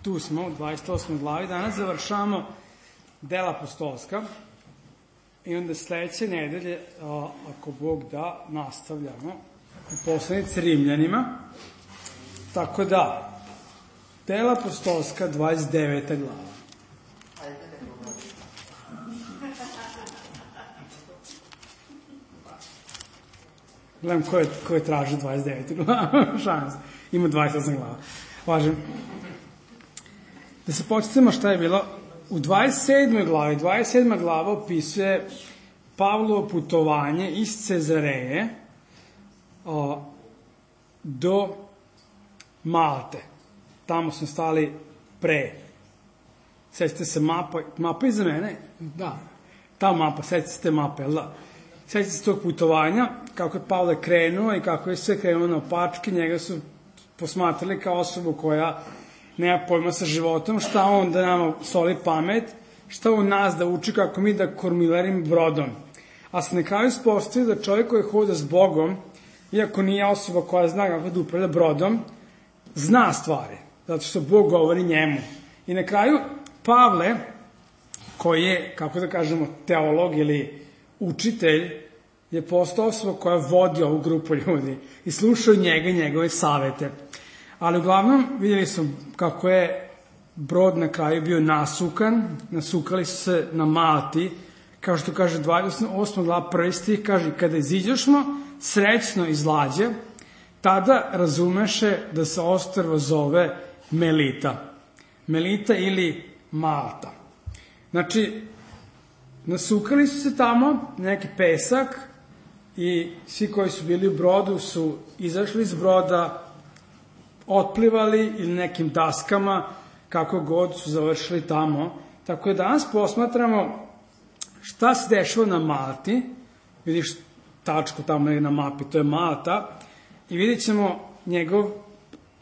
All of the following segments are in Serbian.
tu smo u 28. glavi, danas završavamo dela apostolska i onda sledeće nedelje, ako Bog da, nastavljamo u poslanici Rimljanima. Tako da, dela apostolska, 29. glava. Gledam ko je traži 29. glava. Šans. Ima 28 glava. Važem. Da se početimo šta je bilo. U 27. glavi, 27. glava opisuje Pavlovo putovanje iz Cezareje do Malte. Tamo smo stali pre. Sjećate se mapa iza mene? Da. Ta mapa, sjećate se te mape, jel da? Sjećate se tog putovanja, kako je Pavle krenuo i kako je sve krenuo na opačke, njega su posmatrali kao osobu koja nema pojma sa životom, šta on da nama soli pamet, šta on nas da uči kako mi da kormilarim brodom. A se na kraju ispostavio da čovjek koji hoda s Bogom, iako nije osoba koja zna kako da upravlja brodom, zna stvari, zato što Bog govori njemu. I na kraju Pavle, koji je, kako da kažemo, teolog ili učitelj, je postao osoba koja vodi ovu grupu ljudi i slušao njega i njegove savete. Ali uglavnom vidjeli smo kako je brod na kraju bio nasukan, nasukali su se na Malti, kao što kaže 28. glava 1. stih, kaže, kada iziđošmo srećno iz lađe, tada razumeše da se ostrvo zove Melita. Melita ili Malta. Znači, nasukali su se tamo, neki pesak, i svi koji su bili u brodu su izašli iz broda, otplivali ili nekim daskama, kako god su završili tamo. Tako da danas posmatramo šta se dešava na Malti. Vidiš tačku tamo na mapi, to je Malta. I vidjet ćemo njegov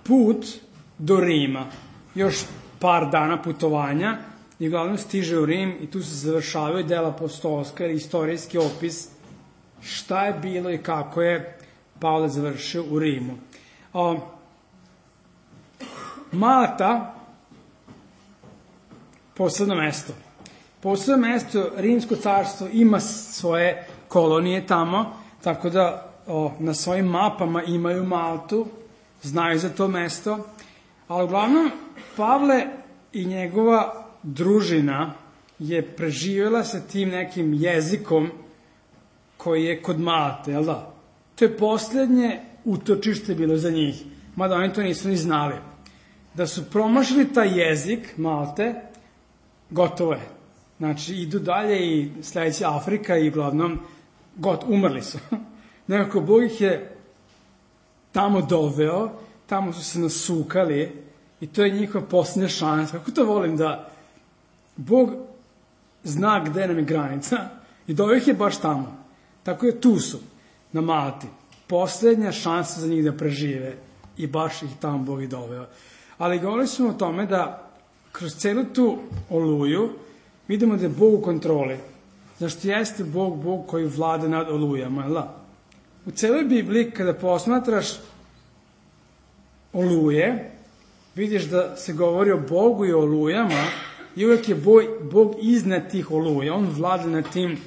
put do Rima. Još par dana putovanja i uglavnom stiže u Rim i tu se završavaju dela apostolska ili istorijski opis šta je bilo i kako je Pavle završio u Rimu. Malta, posebno mesto. Posebno mesto, Rimsko carstvo ima svoje kolonije tamo, tako da na svojim mapama imaju Maltu, znaju za to mesto, ali uglavnom Pavle i njegova družina je preživjela sa tim nekim jezikom koji je kod Malte, jel da? To je posljednje utočište bilo za njih, mada oni to nisu ni znali. Da su promašili taj jezik Malte, gotovo je. Znači, idu dalje i sledeća Afrika i uglavnom umrli su. Nekako Bog ih je tamo doveo, tamo su se nasukali i to je njihova posljednja šansa. Kako to volim da Bog zna gde nam je granica i doveo ih je baš tamo. Tako je tu su, na Malti. Posljednja šansa za njih da prežive i baš ih tamo Bog i doveo. Ali govorili smo o tome da kroz celu tu oluju vidimo da je Bog u kontroli. Zašto jeste Bog koji vlada nad olujama, jel da? U celoj Bibliji kada posmatraš oluje, vidiš da se govori o Bogu i o olujama i uvek je Bog iznad tih oluja. On vlada nad tim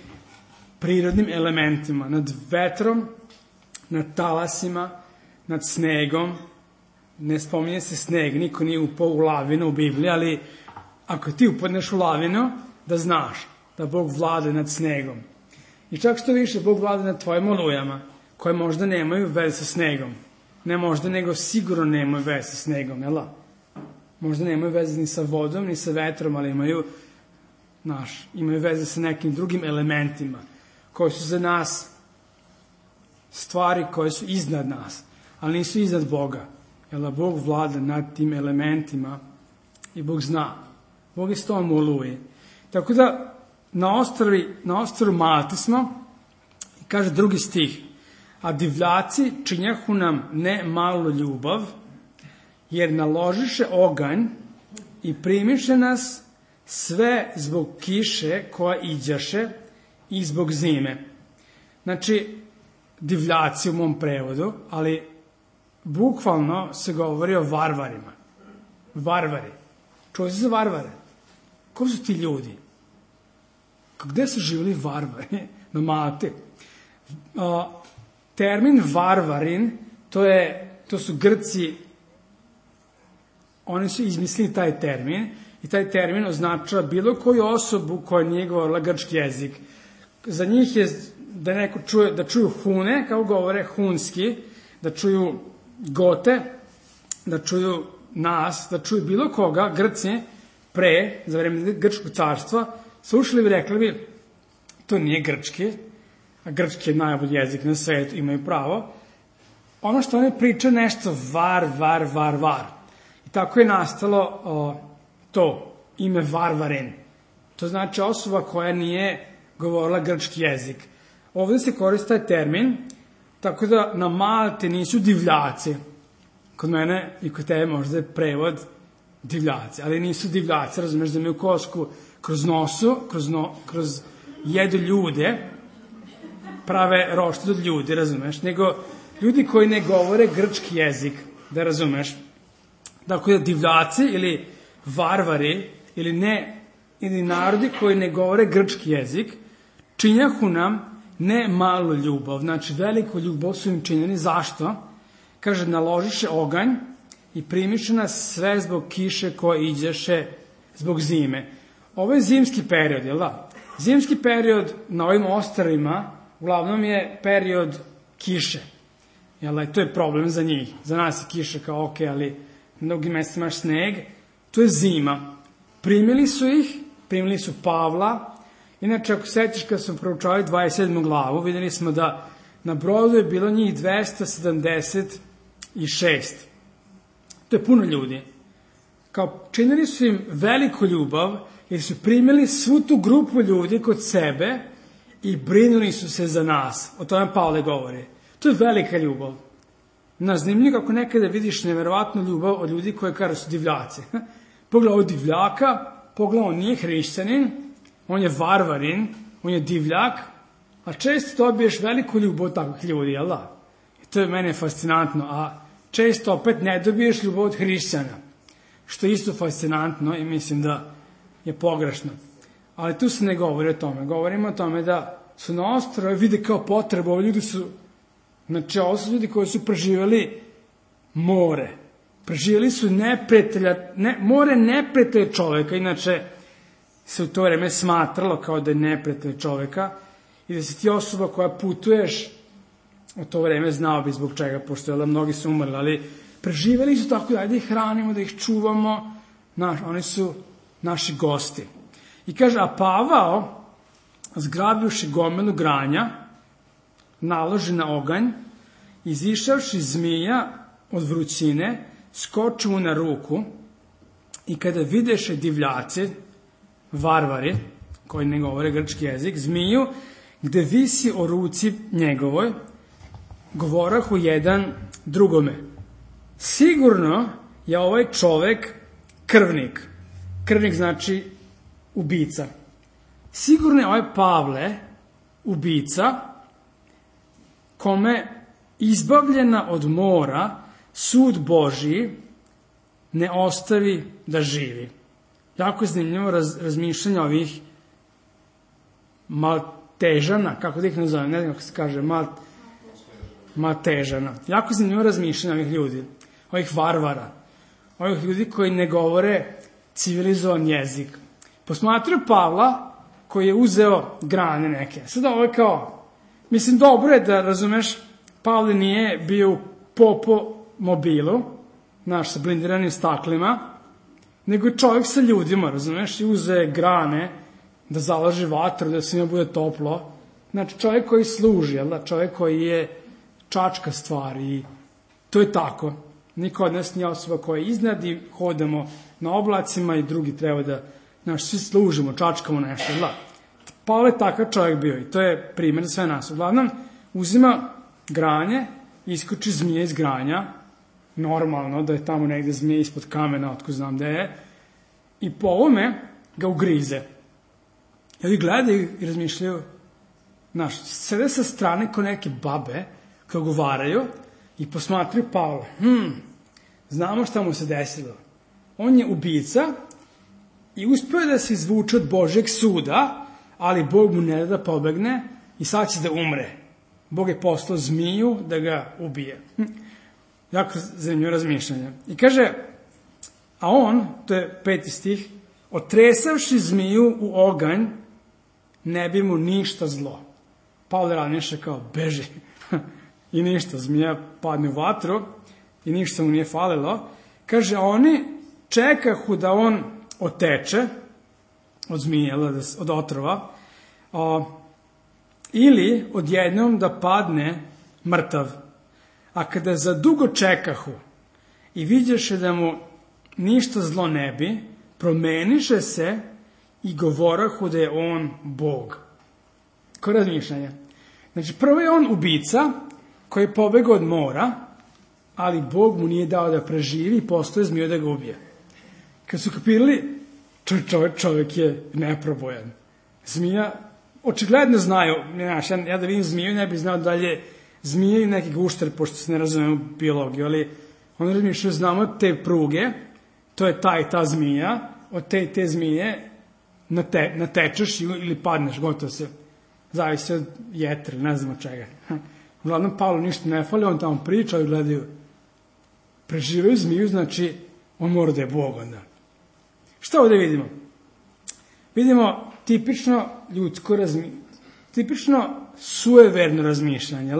prirodnim elementima, nad vetrom, nad talasima, nad snegom. Ne spominje se sneg, niko nije upao u lavinu u Bibliji, ali ako ti upadneš u lavinu, da znaš da Bog vlada nad snegom. I čak što više, Bog vlada nad tvojim olujama, koje možda nemaju veze sa snegom. Ne možda, nego sigurno nemaju veze sa snegom, jel da? Možda nemaju veze ni sa vodom, ni sa vetrom, ali imaju veze sa nekim drugim elementima, koji su za nas stvari koje su iznad nas, ali nisu iznad Boga. Jel da Bog vlada nad tim elementima i Bog zna. Bog je s tom u oluji. Tako da na ostrvu Malti smo, kaže drugi stih, a divljaci činjahu nam ne malu ljubav, jer naložiše oganj i primiše nas sve zbog kiše koja iđaše i zbog zime. Znači, divljaci u mom prevodu, ali bukvalno se govori o varvarima. Varvari. čuo si za varvare? Ko su ti ljudi? Gde su živjeli varvari? Na Malti. Termin varvarin, to su Grci, oni su izmislili taj termin i taj termin označava bilo koju osobu koja nije govorila grčki jezik. Za njih je da čuju Hune, kao govore hunski, da čuju Gote, da čuju nas, da čuju bilo koga, Grci, pre, za vreme Grčkog carstva, slušali bi, rekli bi, to nije grčki, a grčki je najbolji jezik na svetu, imaju pravo. Ono što oni pričaju nešto var. I tako je nastalo to ime varvarin. To znači osoba koja nije govorila grčki jezik. Ovdje se koristi taj termin, tako da na Malti nisu divljaci. Kod mene i kod tebe možda je prevod divljaci, ali nisu divljaci, razumeš, da imaju kosku kroz nosu, kroz jedu ljude, prave roštilj od ljudi, razumeš, nego ljudi koji ne govore grčki jezik, da razumeš. Dakle, divljaci ili varvari ili narodi koji ne govore grčki jezik činjahu nam ne malu ljubav, znači veliku ljubav su im činjeni. Zašto? Kaže, naložiše oganj i primiše nas sve zbog kiše koja iđeše zbog zime. Ovo je zimski period, jel da? Zimski period na ovim ostrvima uglavnom je period kiše. Jel da? To je problem za njih. Za nas je kiša kao ok, ali na mnogim mestima imaš sneg. To je zima. Primili su Pavla. Inače, ako sećaš kad smo proučavali 27. glavu, vidjeli smo da na brodu je bilo njih 276. To je puno ljudi. Kao činili su im veliku ljubav, jer su primili svu tu grupu ljudi kod sebe i brinuli su se za nas. O tome Pavle govori. To je velika ljubav. Zanimljivo kako nekada vidiš neverovatnu ljubav od ljudi koji kažu su divljaci. Pogledaj ovo divljaka, pogledaj, on nije hrišćanin, on je varvarin, on je divljak, a često dobiješ veliku ljubav od takvih ljudi, jel da? I to je mene fascinantno, a često opet ne dobiješ ljubav od hrišćana, što je isto fascinantno i mislim da je pogrešno. Ali tu se ne govori o tome. Govorimo o tome da su na ostrove, vide kao potrebu, ovi ljudi su, znači ovo su ljudi koji su preživjeli more. Preživjeli su more neprijatelja čoveka, inače se u to vreme smatralo kao da je neprijatelj čoveka i da si ti osoba koja putuješ u to vreme, znao bi zbog čega, pošto da mnogi su umrli, ali preživjeli su tako da ih hranimo, da ih čuvamo, oni su naši gosti. I kaže, a Pavao, zgrabivši gomilu granja, naloži na oganj, izišavši zmija od vrućine, skoči mu na ruku i kada videše divljaci, varvari, koji ne govore grčki jezik, zmiju, gde visi o ruci njegovoj, govorahu jedan drugome. Sigurno je ovaj čovek krvnik. Krvnik znači ubica. Sigurno je ovaj Pavle ubica kome izbavljena od mora sud Božiji ne ostavi da živi. Jako je zanimljivo razmišljanje ovih Maltežana, kako da ih nazovem, ne znam kako se kaže, Maltežana. Jako je zanimljivo razmišljanje ovih ljudi, ovih varvara, ovih ljudi koji ne govore civilizovan jezik. Posmatraju Pavla koji je uzeo grane neke. Sada ovo je kao, mislim, dobro je da razumeš, Pavle nije bio u popo mobilu, naš sa blindiranim staklima, nego je čovjek sa ljudima, razumeš, i uze grane da zalaže vatru, da svima bude toplo. Znači, čovjek koji služi, jel da? Čovjek koji je čačka stvar i to je tako. Niko od nas nije osoba koja je iznad i hodamo na oblacima i drugi treba da, znaš, svi služimo, čačkamo nešto, jel da? Pavle je takav čovjek bio i to je primjer za sve nas. Uglavnom, uzima granje, iskoči zmije iz granja, normalno da je tamo negde zmije ispod kamena, otko znam gde je, i po ovome ga ugrize. I ovi gledaju i razmišljaju, znaš, sede sa strane ko neke babe, koje govaraju i posmatraju Pavla. Znamo šta mu se desilo. On je ubica i uspeo je da se izvuče od Božjeg suda, ali Bog mu ne da pobegne i sad će da umre. Bog je poslao zmiju da ga ubije. Jako zanimljivo razmišljanje. I kaže, a on, to je 5. stih, otresavši zmiju u oganj, ne bi mu ništa zlo. Pavle razmišlja kao, beži. I ništa, zmija padne u vatru i ništa mu nije falilo. Kaže, oni čekahu da on oteče od zmije, od otrova, ili odjednom da padne mrtav. A kada za dugo čekahu i vidješe da mu ništa zlo ne bi, promeniše se i govorahu da je on Bog. Ko razmišljanje? Znači, prvo je on ubica koji je pobegao od mora, ali Bog mu nije dao da preživi i postoje zmiju da ga ubije. Kad su kapirali, čovjek je neprobojan. Zmija, očigledno znaju, ja da vidim zmiju, ne bih znao da li je zmije i neki gušter, pošto se ne razumijem u biologiju, ali on razmišljaju, znamo te pruge, to je ta i ta zmija, od te zmije natečeš ili padneš, gotovo se, zavisi od jetre, ne znam od čega. Uglavnom, Pavlu ništa ne fali, on tamo priča i gledaju, preživaju zmiju, znači on mora da je Bog onda. Šta ovdje vidimo? Vidimo tipično ljudsko tipično sueverno razmišljanje,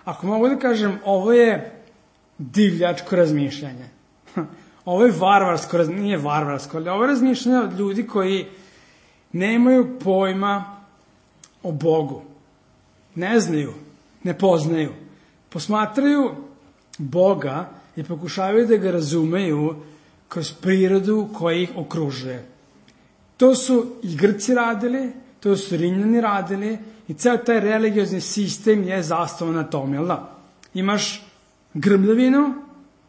Ako mogu da kažem, ovo je divljačko razmišljanje. Ovo je varvarsko, nije varvarsko, ali ovo je razmišljanje od ljudi koji nemaju pojma o Bogu. Ne znaju, ne poznaju. Posmatraju Boga i pokušavaju da ga razumeju kroz prirodu koja ih okružuje. To su i Grci radili, to su Rimljani radili i ceo taj religiozni sistem je zasnovan na tom, jel da? Imaš grmljavinu,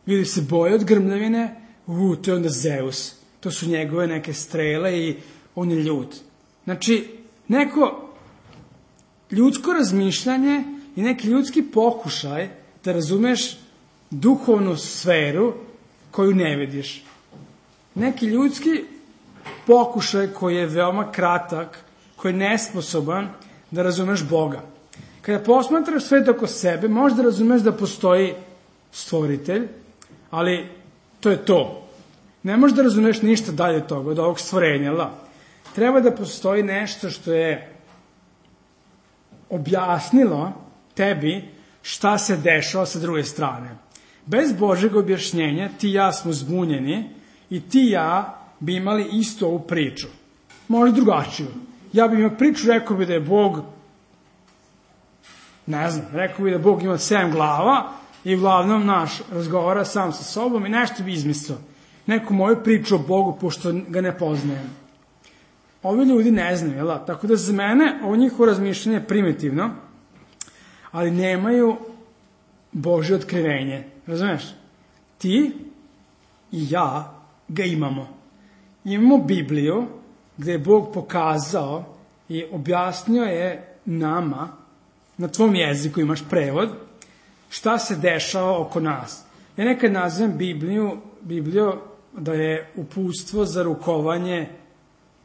ljudi se boje od grmljavine, to je onda Zeus. To su njegove neke strele i on je ljud. Znači, neko ljudsko razmišljanje i neki ljudski pokušaj da razumeš duhovnu sferu koju ne vidiš. Neki ljudski pokušaj koji je veoma kratak, koji je nesposoban da razumeš Boga. Kada posmatraš svet oko sebe, možda razumeš da postoji stvoritelj, ali to je to. Ne možeš da razumeš ništa dalje od toga, od ovog stvorenja. Treba da postoji nešto što je objasnilo tebi šta se dešava sa druge strane. Bez Božeg objašnjenja ti i ja smo zbunjeni i ti i ja bi imali istu ovu priču. Možda drugačiju. Ja bih imao priču, rekao bi da je Bog, ne znam, rekao bi da Bog ima 7 glava i uglavnom razgovara sam sa sobom i nešto bi izmislio. Neku moju priču o Bogu, pošto ga ne poznajem. Ovi ljudi ne znaju, jel? Tako da za mene ovo njihovo razmišljanje je primitivno, ali nemaju Božje otkrivenje. Razumeš? Ti i ja ga imamo. Imamo Bibliju, gde je Bog pokazao i objasnio je nama, na tvom jeziku imaš prevod, šta se dešava oko nas. Ja nekad nazivam Bibliju da je uputstvo za rukovanje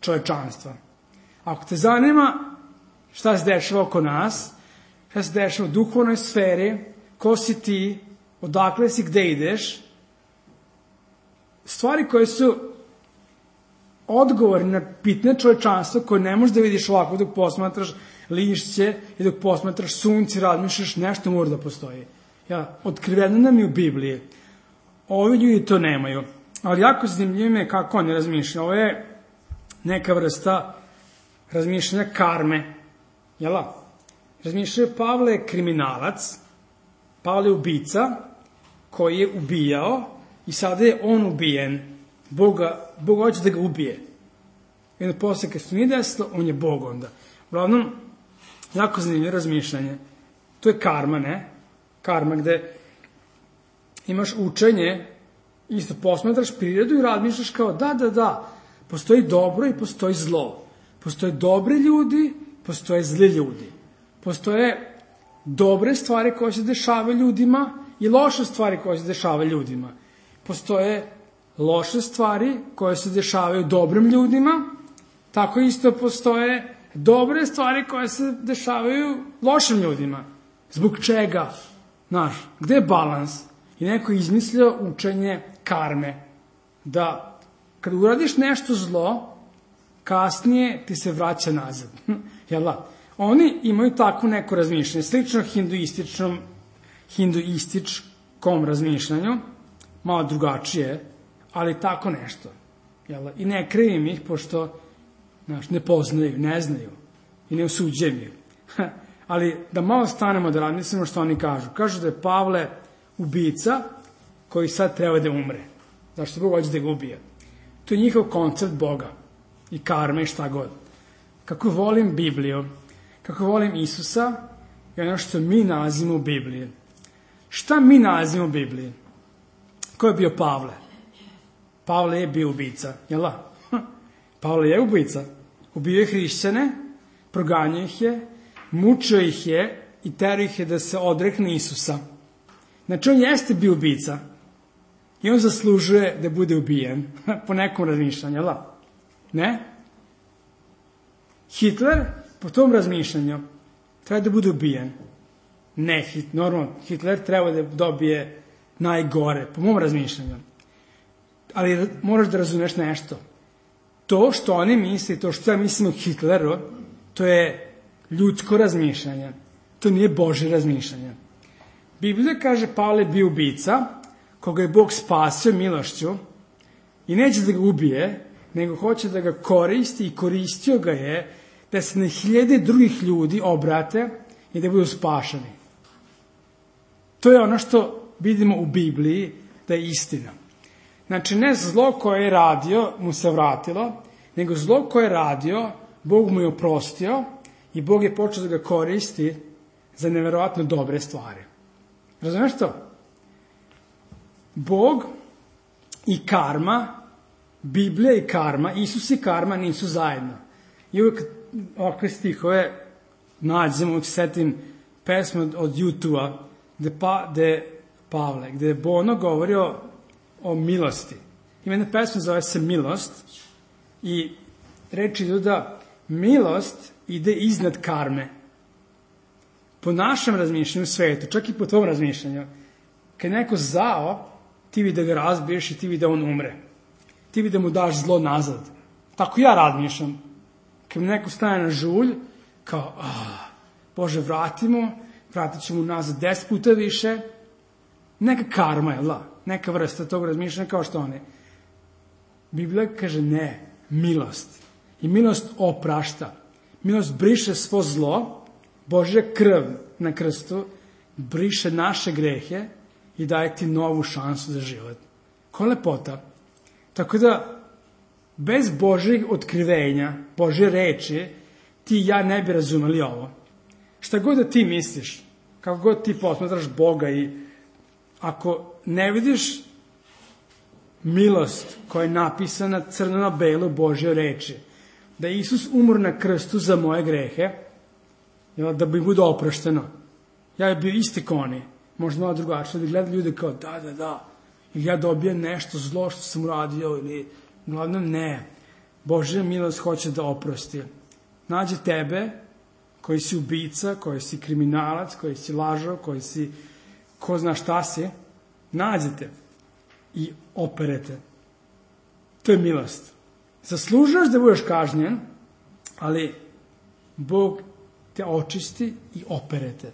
čovečanstva. Ako te zanima šta se dešava oko nas, šta se dešava u duhovnoj sferi, ko si ti, odakle si, gde ideš, stvari koje su odgovori na pitanje čovečanstva koje ne možeš da vidiš ovako dok posmatraš lišće i dok posmatraš sunce, razmišljaš, nešto mora da postoji. Otkriveno nam je u Bibliji. Ovi ljudi to nemaju. Ali jako zanimljivo je kako oni razmišljaju. Ovo je neka vrsta razmišljanja karme. Jel' razmišljaju, Pavle je kriminalac, Pavle je ubica koji je ubijao i sada je on ubijen. Bog hoće da ga ubije. I onda posle kad se nije desilo, on je Bog onda. Uglavnom, jako zanimljivo razmišljanje. To je karma, ne? Karma gde imaš učenje, isto posmatraš prirodu i razmišljaš kao da, postoji dobro i postoji zlo. Postoje dobri ljudi, postoje zli ljudi. Postoje dobre stvari koje se dešavaju ljudima i loše stvari koje se dešavaju ljudima. Postoje loše stvari koje se dešavaju dobrim ljudima, tako isto postoje dobre stvari koje se dešavaju lošim ljudima. Zbog čega? Znaš, gde je balans? I neko je izmislio učenje karme. Da kad uradiš nešto zlo, kasnije ti se vraća nazad. Jel da? Oni imaju tako neko razmišljanje, slično hinduističkom razmišljanju, malo drugačije, ali tako nešto. Jel da? I ne krivim ih, pošto ne poznaju, ne znaju i ne osuđujem ih. Ali da malo stanemo da razmislimo što oni kažu. Kažu da je Pavle ubica koji sad treba da umre. Zašto Bog hoće da ga ubije? To je njihov koncept Boga i karme i šta god. Kako volim Bibliju, kako volim Isusa i ono što mi nalazimo u Bibliji. Šta mi nalazimo u Bibliji? Ko je bio Pavle? Pavle je bio ubica, jel da? Pavle je ubica. Ubio je hrišćane, proganjao ih je, mučio ih je i terao ih je da se odrekne Isusa. Znači, on jeste bio ubica i on zaslužuje da bude ubijen, po nekom razmišljanju, jel da? Ne? Hitler, po tom razmišljanju, treba da bude ubijen. Ne, normalno, Hitler treba da dobije najgore, po mom razmišljanju. Ali moraš da razumeš nešto. To što oni misli, to što ja mislim o Hitleru, to je ljudsko razmišljanje. To nije Božje razmišljanje. Biblija kaže Pavle je bio ubica, koga je Bog spasio milošću i neće da ga ubije, nego hoće da ga koristi i koristio ga je da se na hiljade drugih ljudi obrate i da budu spašeni. To je ono što vidimo u Bibliji da je istina. Znači, ne zlo koje je radio mu se vratilo, nego zlo koje je radio, Bog mu je oprostio i Bog je počeo da ga koristi za neverovatno dobre stvari. Razumeš to? Bog i karma, Biblija i karma, Isus i karma nisu zajedno. I uvijek ovakve stihove nađemo, setim pesmu od YouTube-a, gde je Bono govorio o milosti. Ima jedna pesma zove se Milost i reči idu da milost ide iznad karme. Po našem razmišljanju u svetu, čak i po tvom razmišljanju, kad je neko zao, ti bi da ga razbiješ i ti bi da on umre. Ti bi da mu daš zlo nazad. Tako ja razmišljam. Kad mi neko stane na žulj, kao, Bože, vratit ćemo nazad 10 puta više. Neka karma je, neka vrsta tog razmišljanja kao što oni. Biblija kaže ne, milost. I milost oprašta. Milost briše svo zlo, Božja krv na krstu briše naše grehe i daje ti novu šansu za život. Ko lepota. Tako da, bez Božjeg otkrivenja, Božje reči, ti i ja ne bi razumeli ovo. Šta god da ti misliš, kako god ti posmatraš Boga i ako ne vidiš milost koja je napisana crno na belo Božje reči, da je Isus umro na krstu za moje grehe, da bi bude oprošteno. Ja bi bio isti ko oni, možda malo drugačije, da gledam ljude kao da, i ja dobijem nešto zlo što sam uradio, ili glavnom ne. Božja milost hoće da oprosti. Nađe tebe, koji si ubica, koji si kriminalac, koji si lažov, koji si ko zna šta si, nađete i operete. To je milost. Zaslužaš da budeš kažnjen, ali Bog te očisti i operete.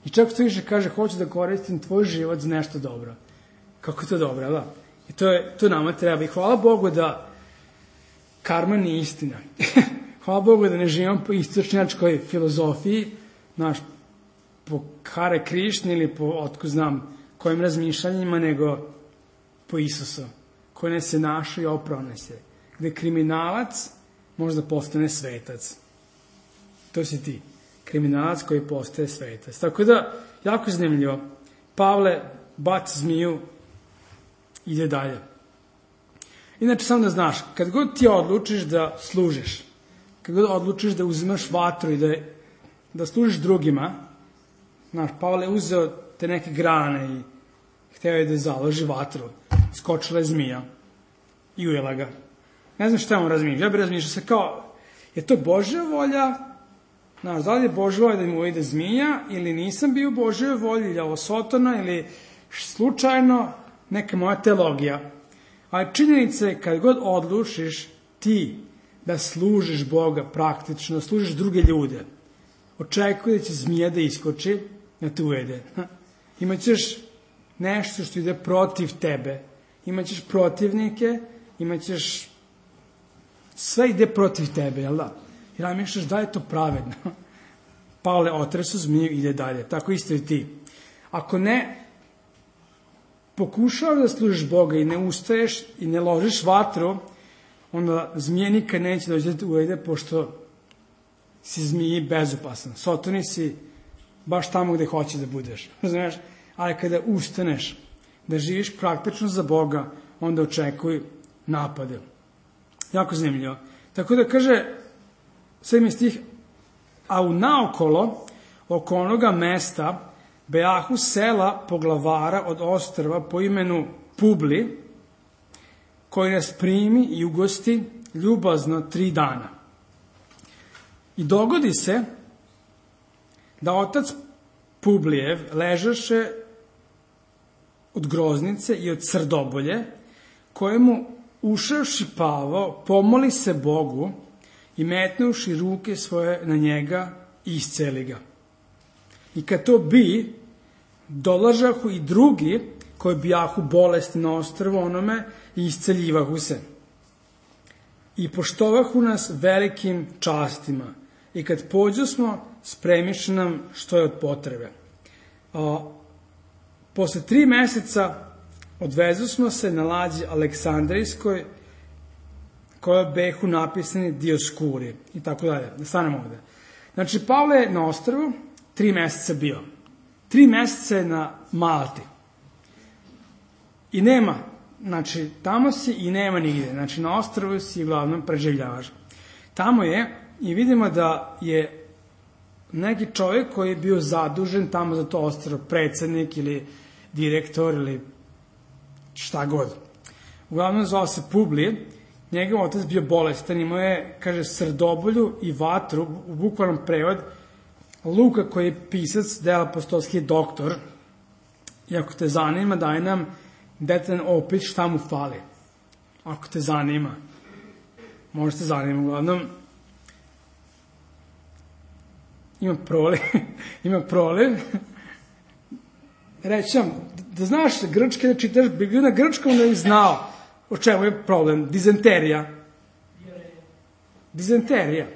I čak to više kaže, hoću da koristim tvoj život za nešto dobro. Kako je to dobro, da? I to nama treba. I hvala Bogu da karma nije istina. Hvala Bogu da ne živimo po istočnjačkoj filozofiji, po Hare Krišni ili po, otko znam, kojim razmišljanjima, nego po Isusu, koji nas je našao i oprao nas je. Gde kriminalac može da postane svetac. To si ti. Kriminalac koji postaje svetac. Tako da, jako zanimljivo. Pavle baci zmiju, ide dalje. Inače, samo da znaš, kad god ti odlučiš da služiš, kad god odlučiš da uzimaš vatru i da služiš drugima, Pavle je uzeo te neke grane i hteo je da založi vatru. Skočila je zmija. i ujela ga. Ne znam šta on razmišlja. Ja bih razmišljao se kao, je to Božja volja? Znaš, da li je Božja volja da mi ujede zmija, ili nisam bio u Božjoj volji, ili je ovo Sotona, ili slučajno neka moja teologija. Ali činjenica je, kad god odlučiš ti da služiš Boga praktično, da služiš druge ljude, očekuje da će zmija da iskoči, da te ujede. Imaćeš nešto što ide protiv tebe, imaćeš protivnike, imaćeš sve ide protiv tebe, jel da? I razmišljaš da je to pravedno. Pavle otresu zmiju, ide dalje. Tako isto i ti. Ako ne pokušavaš da služiš Boga i ne ustaješ i ne ložiš vatru, onda zmije nikad neće doći da te ujede, pošto si zmiji bezopasan. Sotoni si baš tamo gde hoće da budeš. Razumiješ? Ali kada ustaneš da živiš praktično za Boga, onda očekuj napade. Jako zanimljivo. Tako da kaže 7. stih, a u naokolo oko onoga mesta bejahu sela poglavara od ostrva po imenu Publi, koji nas primi i ugosti ljubazno 3 dana. I dogodi se da otac Publijev ležaše od groznice i od srdobolje, kojemu ušavši Pavao pomoli se Bogu i metnuši ruke svoje na njega i isceli ga. I kad to bi, dolažahu i drugi koji bijahu bolesti na ostrvu onome i isceljivahu se. I poštovahu nas velikim častima. I kad pođu smo, spremiše nam što je od potrebe. Posle 3 meseca odvezu smo se na lađi Aleksandrijskoj, koja behu napisani Dioskuri i tako dalje. Da stanemo ovde. Znači, Pavle je na ostrvu 3 meseca bio. 3 meseca je na Malti. I nema, znači, tamo si i nema nigde. Znači, na ostrvu si uglavnom preživljavaš. Tamo je, i vidimo da je neki čovjek koji je bio zadužen tamo za to ostrvo, predsednik ili direktor ili šta god. Uglavnom zvao se Publi, njegov otac bio bolestan, imao je, kaže, srdobolju i vatru, u bukvalnom prevod, Luka koji je pisac dela apostolski doktor, i ako te zanima, daj nam detaljan opis šta mu fali. Ako te zanima, možete zanima, uglavnom, ima proliv, reći vam, da znaš grčke, da čitaš Bibliju na grčkom, da bi znao o čemu je problem. Dizenterija.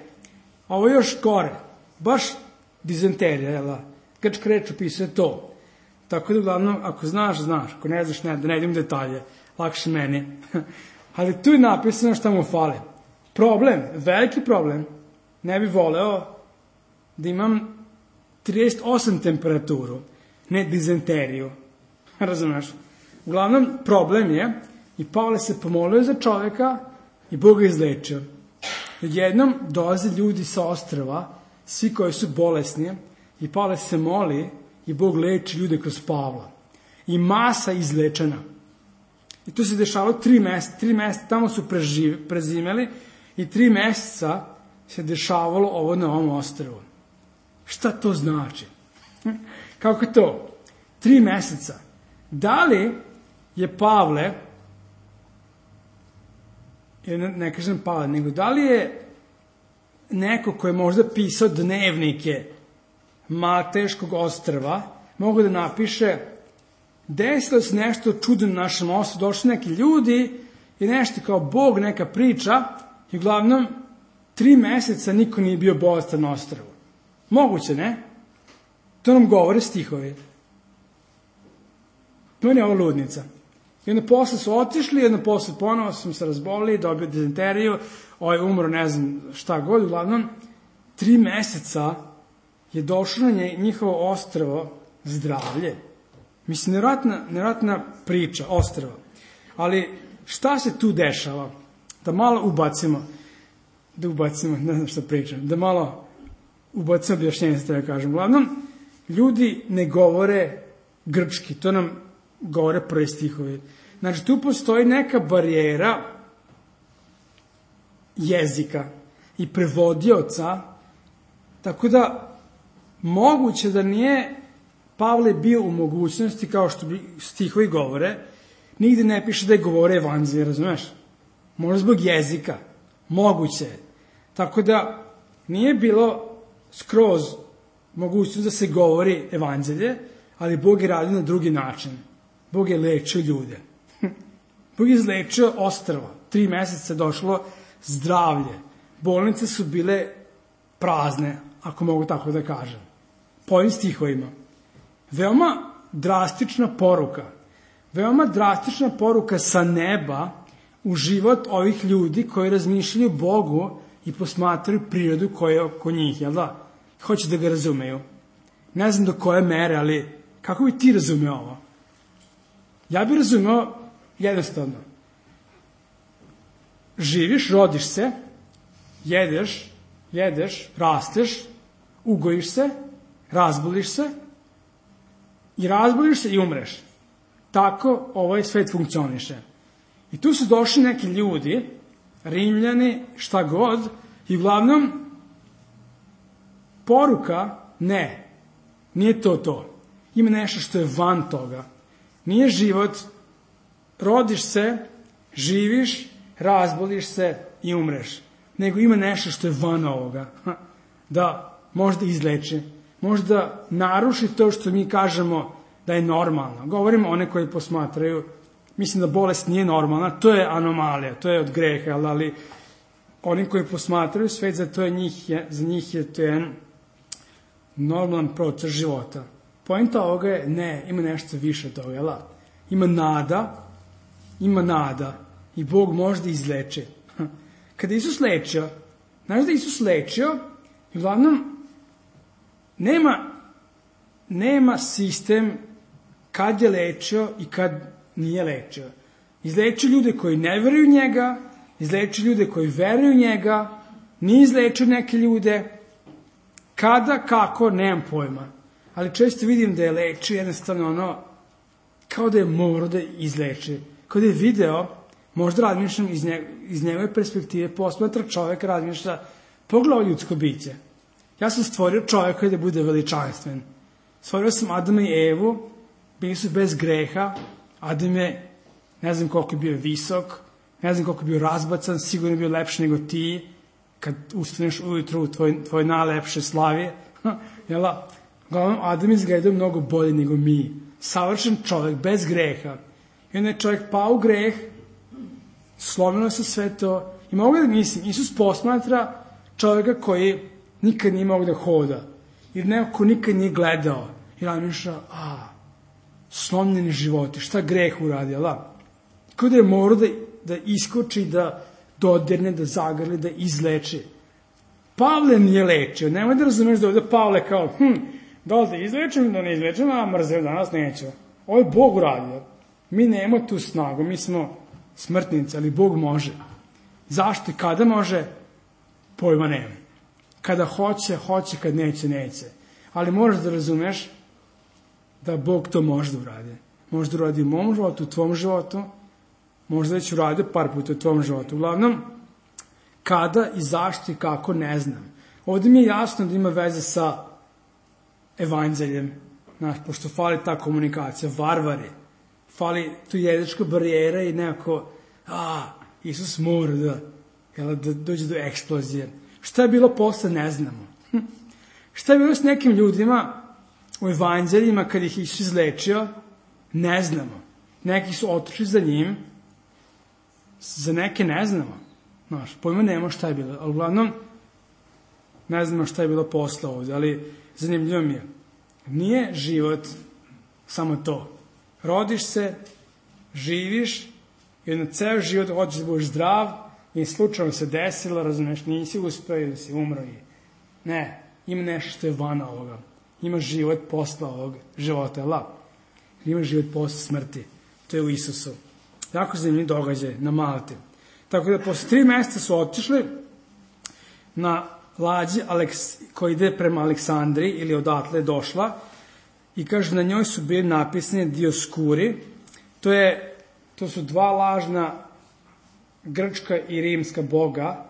Ovo je još gore. Baš dizenterija, jel da? Grčka reč opisuje to. Tako da, uglavnom, ako znaš, znaš. Ako ne znaš, ne, da ne idem detalje. Lakše meni. Ali tu je napisano šta mu fali. Problem, veliki problem, ne bi voleo da imam 38 temperaturu, ne dizenteriju. Razumeš? Uglavnom, problem je, i Pavle se pomolio za čoveka i Bog ga izlečio. Jednom dolaze ljudi sa ostrva, svi koji su bolesni, i Pavle se moli i Bog leči ljude kroz Pavla. I masa izlečena. I to se dešavalo 3 meseca. 3 meseca tamo su prezimeli i 3 meseca se dešavalo ovo na ovom ostrvu. Šta to znači? Kako to? 3 meseca. Da li je Pavle, ne kažem Pavle, nego da li je neko ko je možda pisao dnevnike Malteškog ostrva, mogu da napiše, desilo se nešto čudno na našem ostrvu, došli neki ljudi i nešto kao Bog, neka priča, i uglavnom 3 meseca niko nije bio bolestan na ostrvu. Moguće, ne? To nam govore stihovi. Meni je ovo ludnica. I onda posle su otišli, onda posle ponovo sam se razbolili, dobio dizenteriju, umro, ne znam šta god, uglavnom 3 meseca je došlo na njihovo ostrvo zdravlje. Mislim, nevjerojatna priča, ostrvo. Ali šta se tu dešava? Da malo ubacimo, ne znam šta pričam, da malo ubacimo objašnjenje, da kažem. Uglavnom, ljudi ne govore grčki, to nam govore prvi stihovi. Znači, tu postoji neka barijera jezika i prevodioca, tako da moguće da nije Pavle bio u mogućnosti, kao što stihovi govore, nigde ne piše da je govore evanđelje, razumeš? Možda zbog jezika, moguće je. Tako da nije bilo skroz mogućnost da se govori evanđelje, ali Bog je radio na drugi način. Bog je lečio ljude. Bog je izlečio ostrva. 3 meseca došlo zdravlje. Bolnice su bile prazne, ako mogu tako da kažem. Po ovim stihovima. Veoma drastična poruka. Veoma drastična poruka sa neba u život ovih ljudi koji razmišljaju Bogu i posmatraju prirodu koja je oko njih, jel da? Hoće da ga razumeju. Ne znam do koje mere, ali kako bi ti razumeo ovo? Ja bih razumeo jednostavno. Živiš, rodiš se, jedeš, rasteš, ugojiš se, razboliš se i umreš. Tako ovaj svet funkcioniše. I tu su došli neki ljudi, Rimljani, šta god, i uglavnom poruka, nije to. Ima nešto što je van toga. Nije život, rodiš se, živiš, razboliš se i umreš. Nego ima nešto što je van ovoga. Da možda izleči, možda naruši to što mi kažemo da je normalno. Govorimo one koji posmatraju, mislim da bolest nije normalna, to je anomalija, to je od greha, ali oni koji posmatraju svet, za njih je to jedan normalan proces života. Poenta ovoga je, ima nešto više toga, jel? Ima nada i Bog možda izleče. Kada Isus lečio, znaš da Isus lečio, uglavnom, nema sistem kad je lečio i kad nije lečio. Izlečio ljude koji ne veruju njega, izlečio ljude koji veruju njega, nije izlečio neke ljude, kada, kako, nemam pojma. Ali često vidim da je lečio jednostavno kao da je morao da izleči. Kao da je video, možda razmišljam iz njegove perspektive, posmatra čovek, razmišlja, pogledaj ljudsko biće. Ja sam stvorio čoveka da bude veličanstven. Stvorio sam Adama i Evu, bili su bez greha, Adam je, ne znam koliko je bio visok, ne znam koliko je bio razbacan, sigurno je bio lepši nego ti, kad ustaneš ujutru u tvoj najlepše slavije. Jela? Uglavnom, Adam izgleda mnogo bolje nego mi. Savršen čovek, bez greha. I onda je čovek pao u greh, slomilo se sve to. I mogu da mislim, Isus posmatra čoveka koji nikad nije mogu da hoda. Ili neko ko nikad nije gledao. I razmišlja, slomljeni životi, šta greh uradi, jel? Kao da je morao da iskoči, da dodirne, da zagrli, da izleči. Pavle nije lečio. Nemoj da razumeš da ovde Pavle kao, da li da izlečim, da ne izlečim, a mrzeo danas neću. Ovo je Bog uradio. Mi nemamo tu snagu, mi smo smrtnici, ali Bog može. Zašto i kada može? Pojma nema. Kada hoće, kad neće. Ali moraš da razumeš da Bog to može da uradi. Može da uradi u mom životu, u tvom životu, možda već uradio par puta u tvom životu. Uglavnom, kada i zašto i kako, ne znam. Ovdje mi je jasno da ima veze sa evanđeljem, pošto fali ta komunikacija, varvari, fali tu jezička barijera i nekako, Isus mora da dođe do eksplozije. Šta je bilo posle, ne znamo. Šta je bilo s nekim ljudima u evanđeljima kad ih Isus izlečio, ne znamo. Neki su otišli za njim, za neke ne znamo. Pojma nema šta je bilo, ali uglavnom ne znamo šta je bilo posle ovdje, ali zanimljivo mi je. Nije život samo to. Rodiš se, živiš i na ceo život hoćeš da budeš zdrav i slučajno se desilo, razumeš, nisi uspeo ili si umro. Ne, ima nešto što je van ovoga. Ima život posle ovog života, ima život posle smrti. To je u Isusu. Jako zanimljiv događaj na Malti. Tako da posle 3 meseca su otišli na lađi koji ide prema Aleksandriji ili odatle je došla i kaže na njoj su bili napisani Dioskuri. To su 2 lažna grčka i rimska boga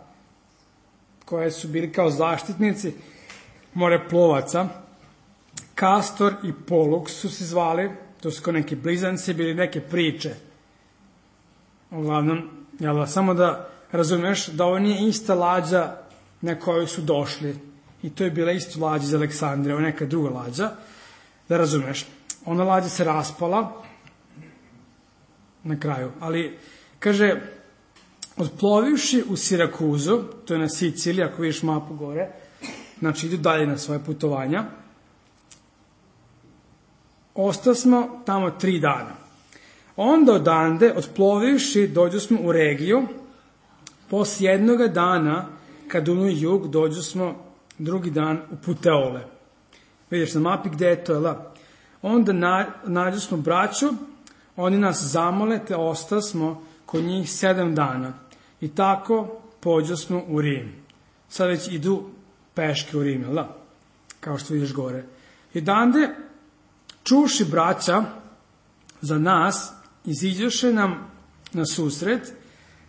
koje su bili kao zaštitnici moreplovaca. Kastor i Polux su se zvali, to su kao neki blizanci, bili neke priče. Uglavnom, samo da razumeš da ovo nije ista lađa na koju su došli. I to je bila isto lađa iz Aleksandrije, ovo neka druga lađa. Da razumeš, ona lađa se raspala na kraju. Ali, kaže, odplovivši u Sirakuzu, to je na Siciliji, ako vidiš mapu gore, znači idu dalje na svoje putovanja, ostasmo tamo 3 dana. Onda odande, odplovivši, dođu smo u Regiju, poslije 1 dana, kad unu jug, dođu smo drugi dan u Puteole. Vidiš na mapi gde je to, Onda nađu smo braću, oni nas zamole, te ostasmo kod njih 7 dana. I tako pođu smo u Rim. Sad već idu peške u Rim, kao što vidiš gore. I dande, čuši braća za nas, iziđoše nam na susret,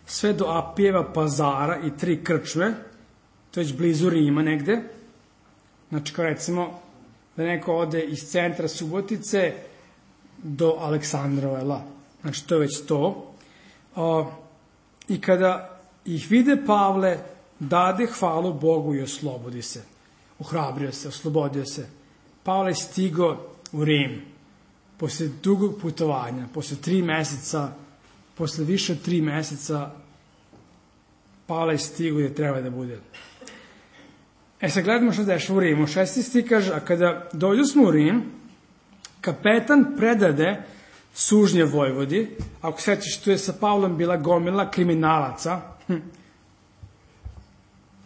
sve do Apijeva pazara i 3 krčme, to je već blizu Rima negde. Znači, kao recimo, da neko ode iz centra Subotice do Aleksandrova, znači to je već to. I kada ih vide Pavle, dade hvalu Bogu i oslobodi se. Uhrabrio se, oslobodio se. Pavle je stigo u Rim, posle dugog putovanja, posle 3 meseca, posle više od 3 meseca, Pavle je stigo gde treba da bude. Sad gledamo što deš u Rimu. 16. kaže, a kada dođu smo u Rim, kapetan predade sužnje vojvodi, ako sećaš, tu je sa Pavlom bila gomila kriminalaca,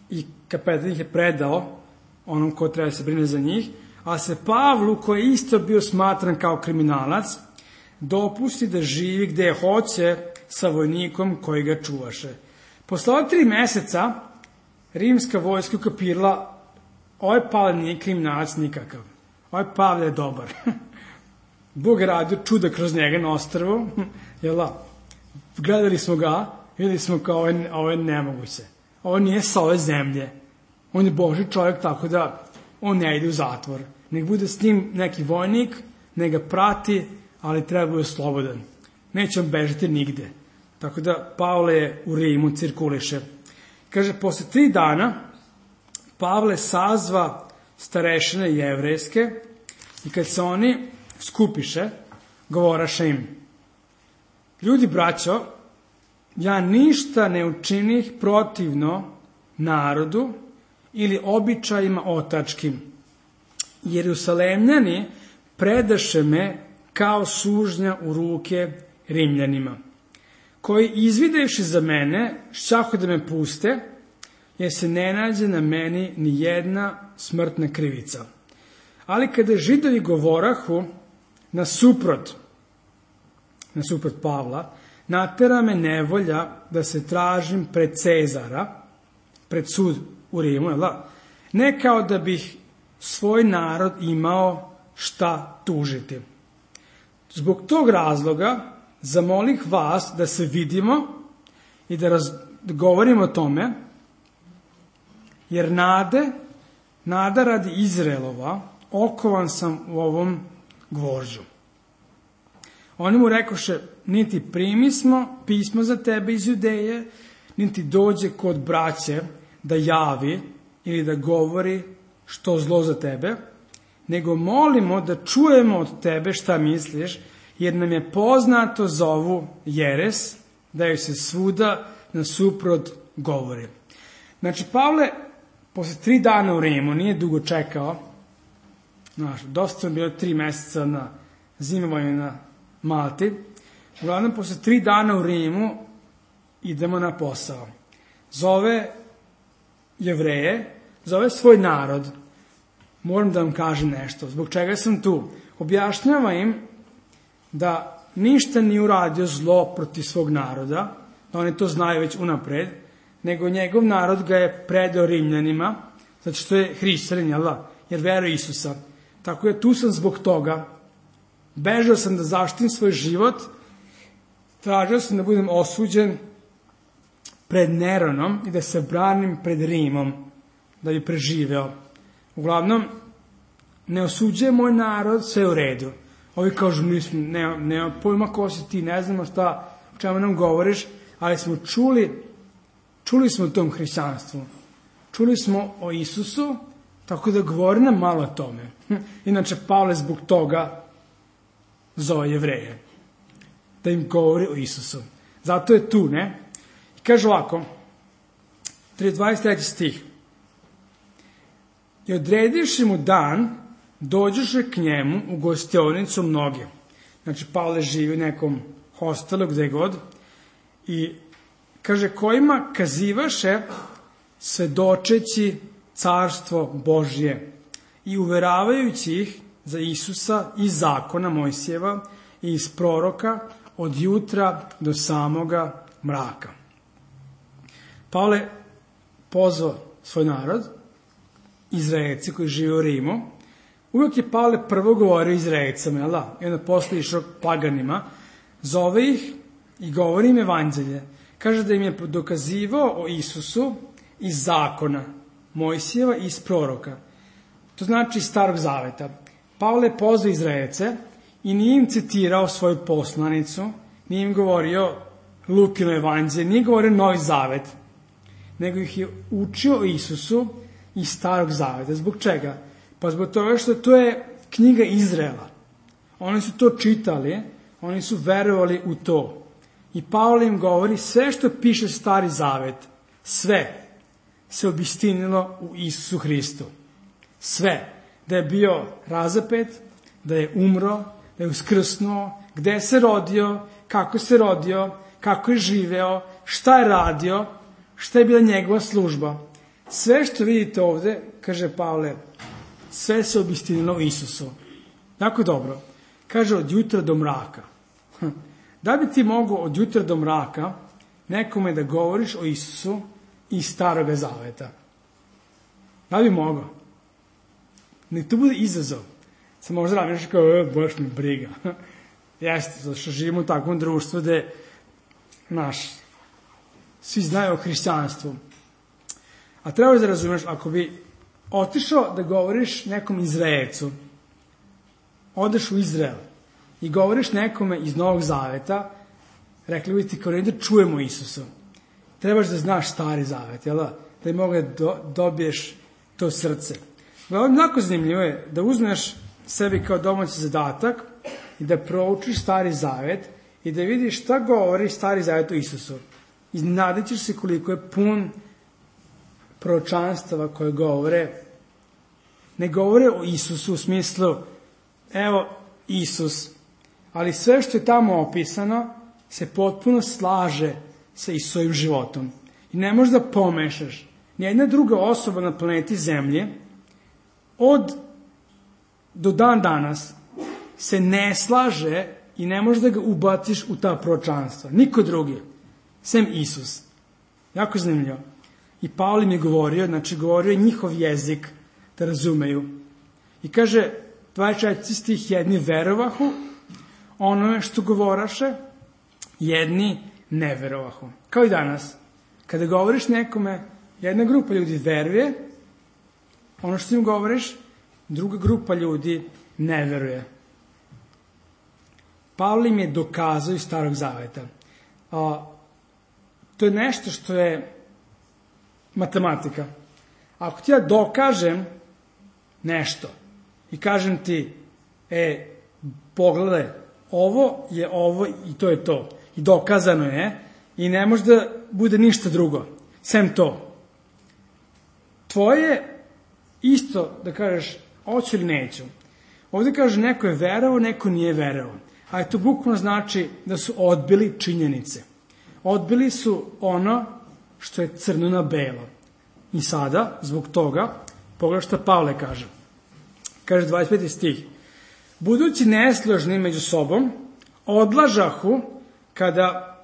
i kapetan ih je predao onom ko treba se brine za njih, a se Pavlu, koji je isto bio smatran kao kriminalac, dopusti da živi gde hoće sa vojnikom koji ga čuvaše. Posle 3 meseca, rimska vojska ukapirala, ovaj Pavle nije kriminalac nikakav. Ovaj Pavle je dobar. Bog je radio čuda kroz njega na ostrvu. Gledali smo ga, videli smo kao ovo je nemoguće. Ovo nije sa ove zemlje. On je Božji čovjek, tako da on ne ide u zatvor. Nek bude s njim neki vojnik, nek ga prati, ali treba bude slobodan. Neće on bežati nigde. Tako da Pavle je u Rimu, cirkuliše. Kaže, posle 3 dana Pavle sazva starešine jevrejske i kad se oni skupiše, govoraše im: ljudi, braćo, ja ništa ne učinih protivno narodu ili običajima otačkim. Jerusalemljani predaše me kao sužnja u ruke Rimljanima, koji izvidevši za mene, šćahu da me puste, jer se ne nađe na meni ni jedna smrtna krivica. Ali kada Židovi govorahu nasuprot Pavla, natera me nevolja da se tražim pred Cezara, pred sud u Rimu, ne kao da bih svoj narod imao šta tužiti. Zbog tog razloga zamolih vas da se vidimo i da govorimo o tome, jer nada radi Izraelova, okovan sam u ovom gvožđu. Oni mu rekoše: niti primismo pismo za tebe iz Judeje, niti dođe kod braće da javi ili da govori što zlo za tebe, nego molimo da čujemo od tebe šta misliš, jer nam je poznato za ovu jeres, da joj se svuda nasuprot govori. Znači, Pavle, posle 3 dana u Rimu, nije dugo čekao, dosta je bilo 3 meseca na zimovanju na Malti, uglavnom, posle 3 dana u Rimu idemo na posao. Zove Jevreje, zove svoj narod. Moram da vam kažem nešto. Zbog čega sam tu? Objašnjava im da ništa nije uradio zlo protiv svog naroda, da oni to znaju već unapred, nego njegov narod ga je predao Rimljanima, zato što je hrišćanin, jer veruje Isusa. Tako je, tu sam zbog toga. Bežao sam da zaštitim svoj život, tražio sam da budem osuđen pred Neronom i da se branim pred Rimom, da bi preživeo. Uglavnom, ne osuđuje moj narod, sve u redu. Ovi kažu, nema pojma ko si ti, ne znamo šta, o čemu nam govoriš, ali smo čuli smo o tom hrišćanstvu. Čuli smo o Isusu, tako da govori nam malo o tome. Inače, Pavle zbog toga zove Jevreje, da im govori o Isusu. Zato je tu, ne? I kaže ovako, 23. stih. I odredivši mu dan, dođoše k njemu u gostionicu mnoge. Znači, Pavle živi u nekom hostelu, gde god, i kaže, kojima kazivaše svedočeći carstvo Božje i uveravajući ih za Isusa iz zakona Mojsijeva i iz proroka od jutra do samoga mraka. Pavle pozvao svoj narod, Izraelci koji žive u Rimu. Uvijek je Pavle prvo govorio Izraelcama, jel da? I onda posle išao paganima, zove ih i govori im evanđelje. Kaže da im je dokazivao o Isusu iz zakona Mojsijeva i iz proroka. To znači iz Starog zaveta. Pavle je pozvao Izraelce i nije im citirao svoju poslanicu, nije im govorio Lukino evanđelje, nije govorio Novi zavet, nego ih je učio o Isusu iz Starog zaveta. Zbog čega? Pa zbog toga što to je knjiga Izraela. Oni su to čitali, oni su verovali u to. I Pavle im govori sve što piše Stari zavet, sve se obistinilo u Isusu Hristu. Sve. Da je bio razapet, da je umro, da je uskrsnuo, gde se rodio, kako je živeo, šta je radio, šta je bila njegova služba. Sve što vidite ovde, kaže Pavle, sve se obistinilo u Isusu. Jako dobro. Kaže od jutra do mraka. Da bi ti mogao od jutra do mraka nekome da govoriš o Isusu iz Staroga zaveta? Da bi mogao? Nek to bude izazov. Se možda radiš kao, baš mi briga. Jeste, zato što živimo u takvom društvu gde, svi znaju o hrišćanstvu. A treba da razumeš, ako bi otišao da govoriš nekom Izraelcu, odeš u Izrael i govoriš nekome iz Novog zaveta, rekli bi ti kao da čujemo Isusu. Trebaš da znaš Stari zavet, jel da? Da bi mogao da dobiješ to srce. Mnogo zanimljivo je da uzmeš sebi kao domaći zadatak i da proučiš Stari zavet i da vidiš šta govori Stari zavet o Isusu. Iznenadit ćeš se koliko je pun proročanstava koje ne govore o Isusu u smislu, evo Isus, ali sve što je tamo opisano se potpuno slaže sa Isusovim životom. I ne možeš da pomešaš. Nijedna druga osoba na planeti Zemlje do dan danas se ne slaže i ne možeš da ga ubaciš u ta proročanstva. Niko drugi, sem Isus. Jako zanimljivo. I Pavle im je govorio je njihov jezik da razumeju. I kaže, 24 stih, jedni verovahu onome što govoraše, jedni ne verovahu. Kao i danas. Kada govoriš nekome, jedna grupa ljudi veruje, ono što im govoriš, druga grupa ljudi ne veruje. Pavle im je dokazao iz Starog zaveta. To je nešto što je matematika. Ako ti ja dokažem nešto i kažem ti, pogledaj, ovo je ovo i to je to. I dokazano je i ne može da bude ništa drugo, sem to. Tvoje isto da kažeš, hoću ili neću. Ovdje kaže, neko je verovao, neko nije verovao. A to bukvalno znači da su odbili činjenice. Odbili su ono što je crno na belo. I sada, zbog toga, pogledaj što Pavle kaže. Kaže 25. stih. Budući nesložni među sobom, odlažahu kada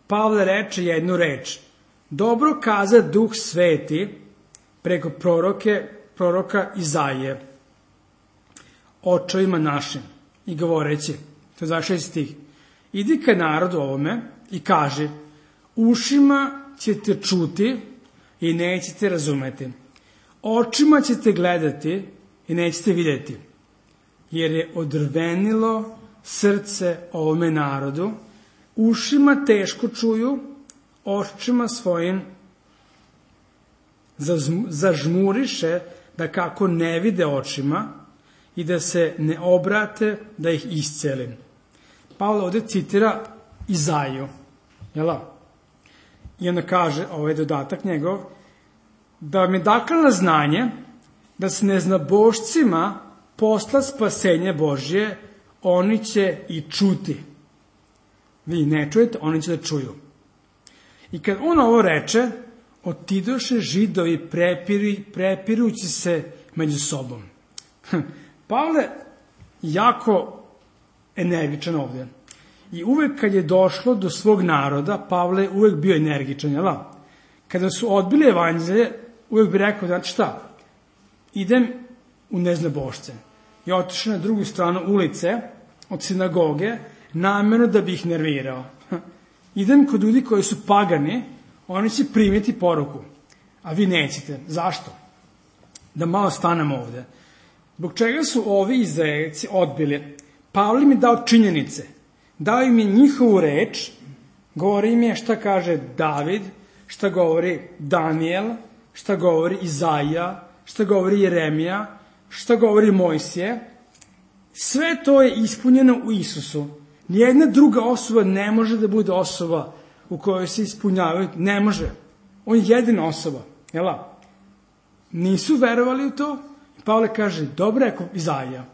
Pavle reče jednu reč. Dobro kaza Duh Sveti preko proroka Izaije očevima našim i govoreći, to je 26. stih, idi ka narodu ovome i kaži, ušima ćete čuti i nećete razumeti. Očima ćete gledati i nećete vidjeti. Jer je odrvenilo srce ovome narodu, ušima teško čuju, očima svojim zažmuriše da kako ne vide očima i da se ne obrate da ih iscelim. Pavle ovdje citira Izaiju, jela? I onda kaže, ovaj dodatak njegov, da vam je dakle na znanje da s neznabošcima posla spasenje Božje, oni će i čuti. Vi ne čujete, oni će da čuju. I kad on ovo reče, otidoše Židovi prepirući se među sobom. Pavle jako energičan ovdje. I uvek kad je došlo do svog naroda, Pavle je uvek bio energičan, jel? Kada su odbili evanđelje, uvek bi rekao, znači šta, idem u neznabošce. I otišao na drugu stranu ulice od sinagoge, namjerno da bi ih nervirao. Idem kod ljudi koji su pagani, oni će primiti poruku, a vi nećete. Zašto? Da malo stanemo ovdje. Zbog čega su ovi Izraelci odbili? Pavle im je dao činjenice. Dao im je njihovu reč, govori im je šta kaže David, šta govori Danijel, šta govori Izaija, šta govori Jeremija, šta govori Mojsije. Sve to je ispunjeno u Isusu. Nijedna druga osoba ne može da bude osoba u kojoj se ispunjavaju. Ne može. On je jedina osoba. Jela? Nisu verovali u to. Pavle kaže, dobro rekao Izaija.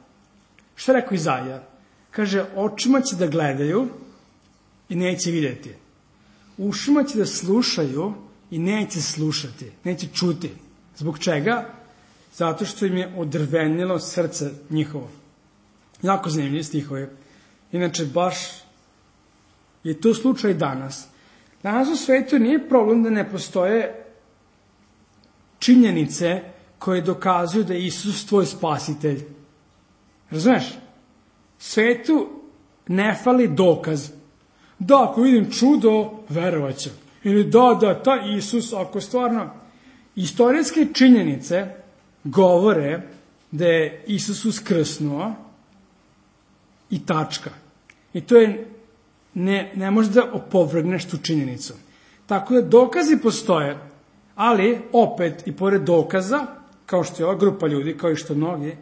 Šta je rekao Izaija? Kaže, očima će da gledaju i neće vidjeti. Ušima će da slušaju i neće slušati. Neće čuti. Zbog čega? Zato što im je odrvenilo srce njihovo. Jako zanimljivi stihovi. Inače, baš je to slučaj danas. Danas u svetu nije problem da ne postoje činjenice koje dokazuju da je Isus tvoj spasitelj. Razumeš? Svetu ne fali dokaz. Da, ako vidim čudo, verovat ću. Ili da, taj Isus, ako stvarno... Istorijske činjenice govore da je Isus uskrsnuo i tačka. I to je, ne može da opovrgneš tu činjenicu. Tako da dokazi postoje, ali opet i pored dokaza, kao što je ova grupa ljudi, kao i što mnogi,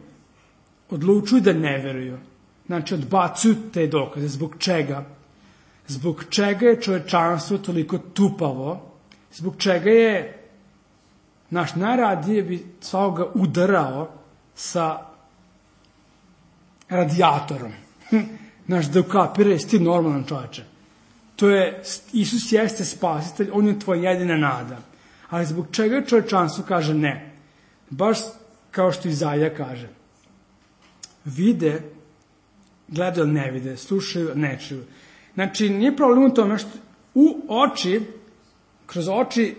odlučuju da ne veruju. Znači, odbacuju te dokaze. Zbog čega? Zbog čega je čovečanstvo toliko tupavo? Zbog čega je naš najradije bi svakoga udarao sa radijatorom. Naš da ukapira, jesi ti normalan čovječe. To je, Isus jeste spasitelj, on je tvoja jedina nada. Ali zbog čega čovječanstvo kaže ne? Baš kao što Izaija kaže. Vide, gledaju, ne vide, slušaju, ne čuju. Znači, nije problem u tome što u oči, kroz oči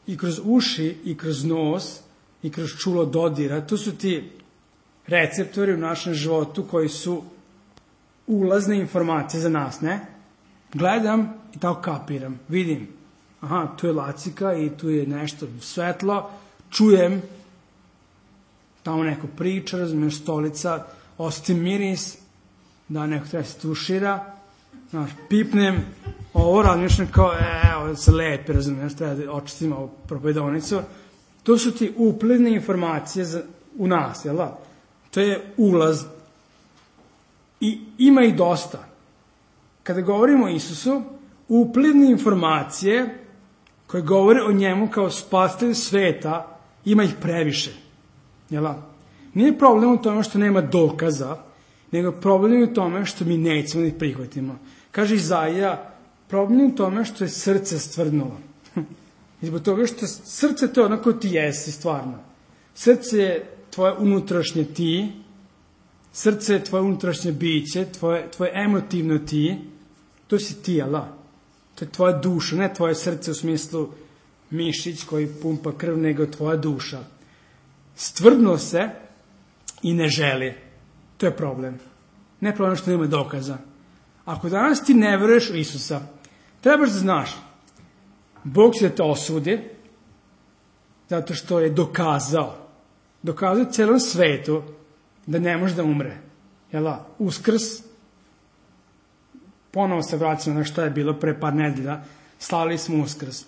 i kroz uši i kroz nos i kroz čulo dodira, to su ti receptori u našem životu koji su ulazne informacije za nas, ne? Gledam i tako kapiram, vidim. Aha, tu je lacika i tu je nešto svetlo, čujem, tamo neko priča, razumiješ, stolica, osjetim miris, da neko treba se tušira, znaš, pipnem, ovo razmišljam kao, ovo se lepi, razumiješ, treba da očistim ovu propovedonicu. To su ti uplivne informacije u nas, jel da? To je ulaz. I ima ih dosta. Kada govorimo o Isusu, uplivne informacije koje govore o njemu kao spasitelju sveta, ima ih previše. Jel da? Nije problem u tome što nema dokaza, nego problem je u tome što mi nećemo da ih prihvatimo. Kaže Izaija, problem je u tome što je srce stvrdnulo. I zbog toga što srce to je ono ko ti jesi stvarno. Srce je tvoje unutrašnje ti, srce je tvoje unutrašnje biće, tvoje emotivno ti, to si ti, Allah. To je tvoja duša, ne tvoje srce u smislu mišić koji pumpa krv, nego tvoja duša. Stvrdno se i ne želi. To je problem. Ne problem što nema dokaza. Ako danas ti ne veruješ u Isusa, trebaš da znaš, Bog će da te osudi, zato što je dokazao celom svetu da ne može da umre. Uskrs, ponovo se vraćamo na što je bilo pre par nedelja, slavili smo Uskrs.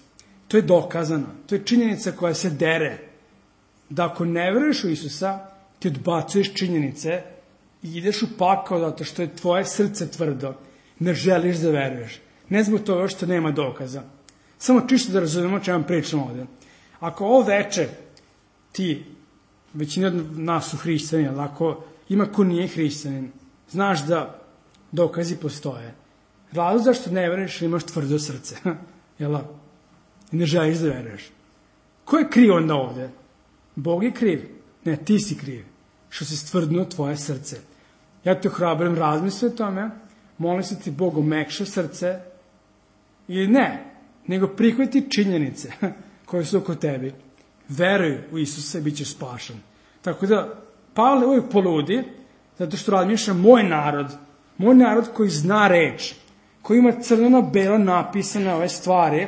To je dokazano, to je činjenica koja se dere, da ako ne veruješ u Isusa, ti odbacuješ činjenice i ideš u pakao zato što je tvoje srce tvrdo, ne želiš da veruješ. Ne zbog toga što nema dokaza. Samo čisto da razumemo čemu pričamo ovde. Ako ovo veče ti, većina od nas su hrišćani, ali ako ima ko nije hrišćanin, znaš da dokazi postoje. Razlog zašto ne veruješ, imaš tvrdo srce. I ne želiš da veruješ. Ko je kriv onda ovde? Bog je kriv. Ne, ti si kriv. Što si stvrdnuo tvoje srce. Ja te ohrabrujem, razmisli o tome, molim se ti Bog omekša srce, ili ne, nego prihvati činjenice koje su oko tebi. Veruj u Isusa i bit ćeš spašen. Tako da, Pavle uvijek poludi, zato što razmišlja moj narod koji zna reč, koji ima crveno-belo napisane ove stvari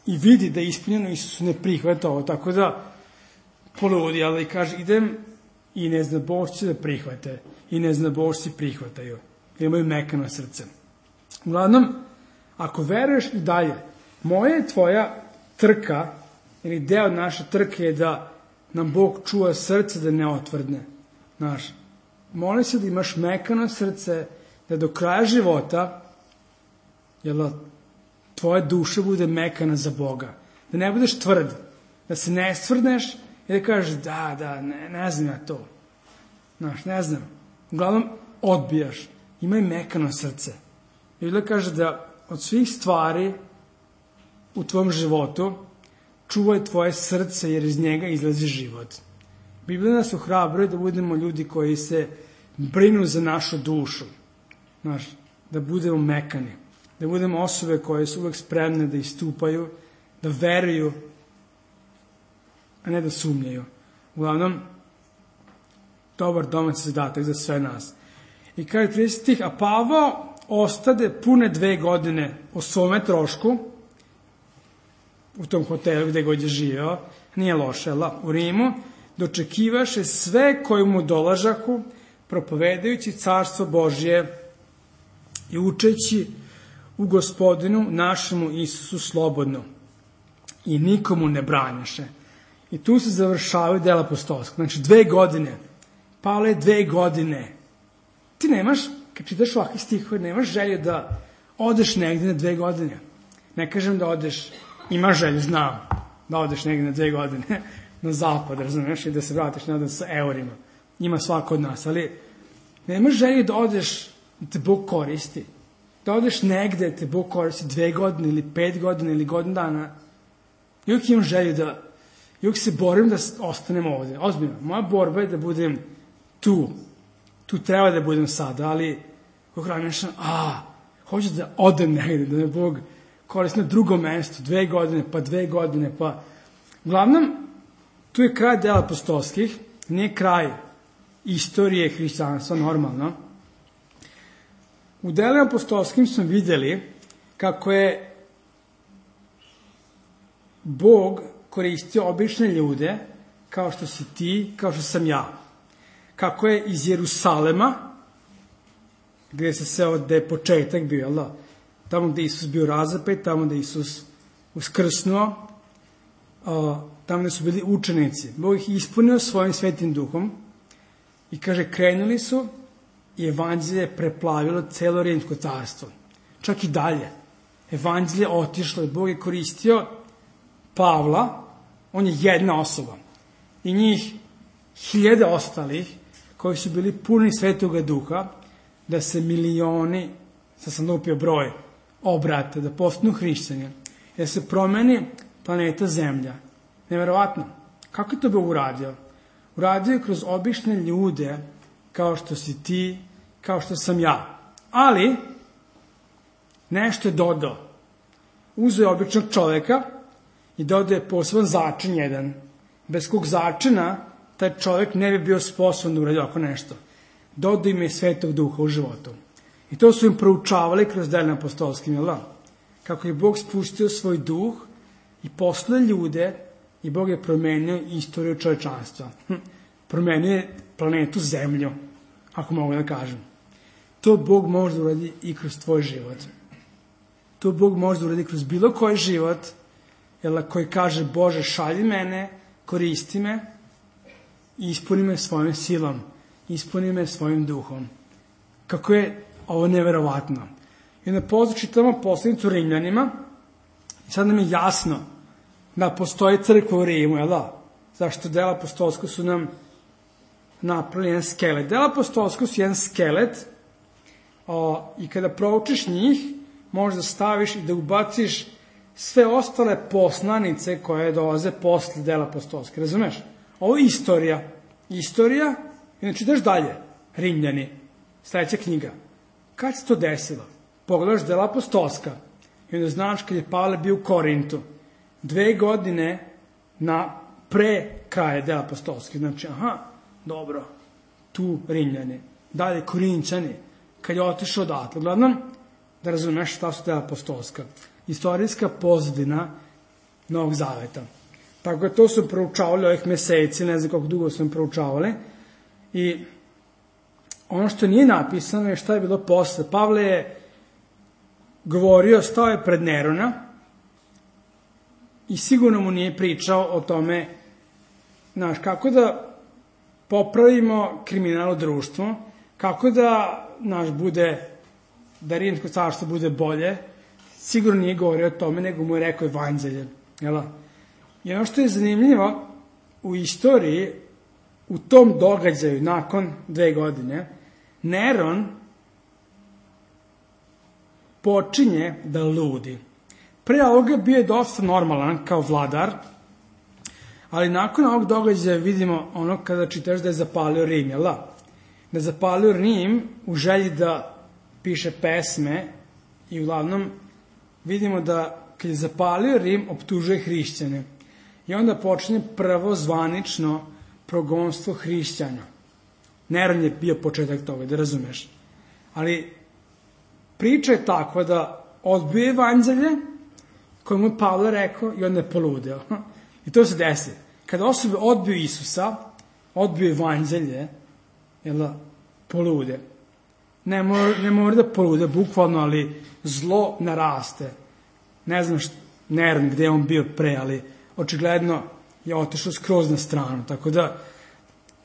i vidi da je ispunjeno, Isus ne prihvata ovo. Tako da, poludi, ali kaže, idem i neznabošci da prihvate, i neznabošci prihvataju, jer imaju mekano srce. Uglavnom, ako veruješ i dalje, moja je tvoja trka, ili deo naše trke je da nam Bog čuva srce da ne otvrdne. Molim se da imaš mekano srce, da do kraja života tvoja duša bude mekana za Boga. Da ne budeš tvrd, da se ne stvrdneš i da kažeš ne znam ja to. Ne znam. Uglavnom, odbijaš. Imaj mekano srce. I Biblia kaže da od svih stvari u tvom životu čuvaj tvoje srce jer iz njega izlazi život. Biblia nas ohrabruje da budemo ljudi koji se brinu za našu dušu. Da budemo mekani. Da budemo osobe koje su uvek spremne da istupaju, da veruju, a ne da sumnjaju. Uglavnom, dobar domaći zadatak za sve nas. I kaže 30 stih, a Pavao ostade pune 2 godine o svome trošku, u tom hotelu gde god je živeo, nije loše, u Rimu, dočekivaše sve koji mu dolažahu, propovedajući carstvo Božje i učeći u Gospodinu našemu Isusu slobodno. I nikomu ne branjaše. I tu se završavaju dela apostolska. Znači 2 godine. Pavle, 2 godine. Ti nemaš, kad čitaš ovakve stihove, nemaš želju da odeš negde na 2 godine. Ne kažem da odeš, imaš želju, znam, da odeš negde na 2 godine na zapad, razumiješ, i da se vratiš nadam sa eurima. Ima svako od nas, ali nemaš želju da odeš, da te Bog koristi. Da odeš negde, da te Bog koristi 2 godine ili 5 godina ili godinu dana. I uvijek imam želju da, i uvijek se borim da ostanem ovde. Ozbiljno, moja borba je da budem tu. Tu treba da budem sada, ali kako razmišljam, hoću da odem negde, da me Bog koristi na drugom mestu, 2 godine, pa 2 godine, pa... Uglavnom, tu je kraj dela apostolskih, nije kraj istorije hrišćanstva, normalno. U delima apostolskim smo videli kako je Bog koristio obične ljude, kao što si ti, kao što sam ja. Kako je iz Jerusalema, gde je početak bio, tamo gde Isus bio razapet, tamo gde Isus uskrsnuo, tamo gde su bili učenici. Bog ih ispunio svojim svetim duhom i kaže, krenuli su i evanđelje je preplavilo celo Rimsko carstvo. Čak i dalje. Evanđelje je otišlo i Bog je koristio Pavla, on je jedna osoba. I njih 1000 ostalih koji su bili puni Svetoga Duha, da se milioni, sad sam lupio broj, obrate, da postanu hrišćani, da se promeni planeta Zemlja. Neverovatno. Kako je to Bog uradio? Uradio je kroz obične ljude, kao što si ti, kao što sam ja. Ali, nešto je dodao. Uzeo je običnog čoveka i dodao je poseban začin jedan. Bez kog začina taj čovek ne bi bio sposoban da uradi oko nešto. Dodao im je Svetog Duha u životu. I to su im proučavali kroz delima apostolskim, jel da? kako je Bog spustio svoj duh i poslao ljude i Bog je promenio istoriju čovečanstva. Promenio je planetu Zemlju, ako mogu da kažem. To Bog može da uradi i kroz tvoj život. To Bog može da uradi kroz bilo koji život, koji kaže Bože šalji mene, koristi me i ispuni me svojom silom, ispuni me svojim duhom. Kako je ovo neverovatno. I onda pozdrav čitamo poslanicu Rimljanima i sad nam je jasno da postoji crkva u Rimu, zašto dela apostolska su nam napravili jedan skelet. Dela apostolska su jedan skelet i kada proučiš njih, možeš da staviš i da ubaciš sve ostale poslanice koje dolaze posle dela apostolske. Razumeš? Ovo je istorija. Istorija, i znači daš dalje. Rimljani, sledeća knjiga. Kad se to desilo? Pogledaš dela apostolska i onda znaš kad je Pavle bio u Korintu. 2 godine pre kraja dela apostolske. Znači, dobro, tu Rimljani. Dalje Korinćani, kad je otišao odatle. Uglavnom, da razumeš šta su dela apostolska. Istorijska pozadina Novog Zaveta. Tako da to su proučavali ovih meseci, ne znam koliko dugo su proučavali. I ono što nije napisano je šta je bilo posle. Pavle je govorio, stao je pred Nerona i sigurno mu nije pričao o tome, znaš, kako da popravimo kriminal u društvu, kako da, da Rimsko carstvo bude bolje. Sigurno nije govorio o tome, nego mu je rekao evanđelje. I ono što je zanimljivo, u istoriji, u tom događaju, nakon 2 godine, Neron počinje da ludi. Pre ovoga bio je dosta normalan kao vladar, ali nakon ovog događaja vidimo ono kada čitaš da je zapalio Rim, Da je zapalio Rim u želji da piše pesme i uglavnom vidimo da kad je zapalio Rim, optužuje hrišćane. I onda počinje prvo zvanično progonstvo hrišćana. Neron je bio početak toga, da razumeš. Ali priča je takva da odbio evanđelje koje mu je Pavle rekao i onda je poludeo. I to se desi. Kada osobe odbiju Isusa, odbiju evanđelje, polude. Ne mora da polude, bukvalno, ali zlo naraste. Ne znam Neron gde je on bio pre, ali očigledno je otišao skroz na stranu. Tako da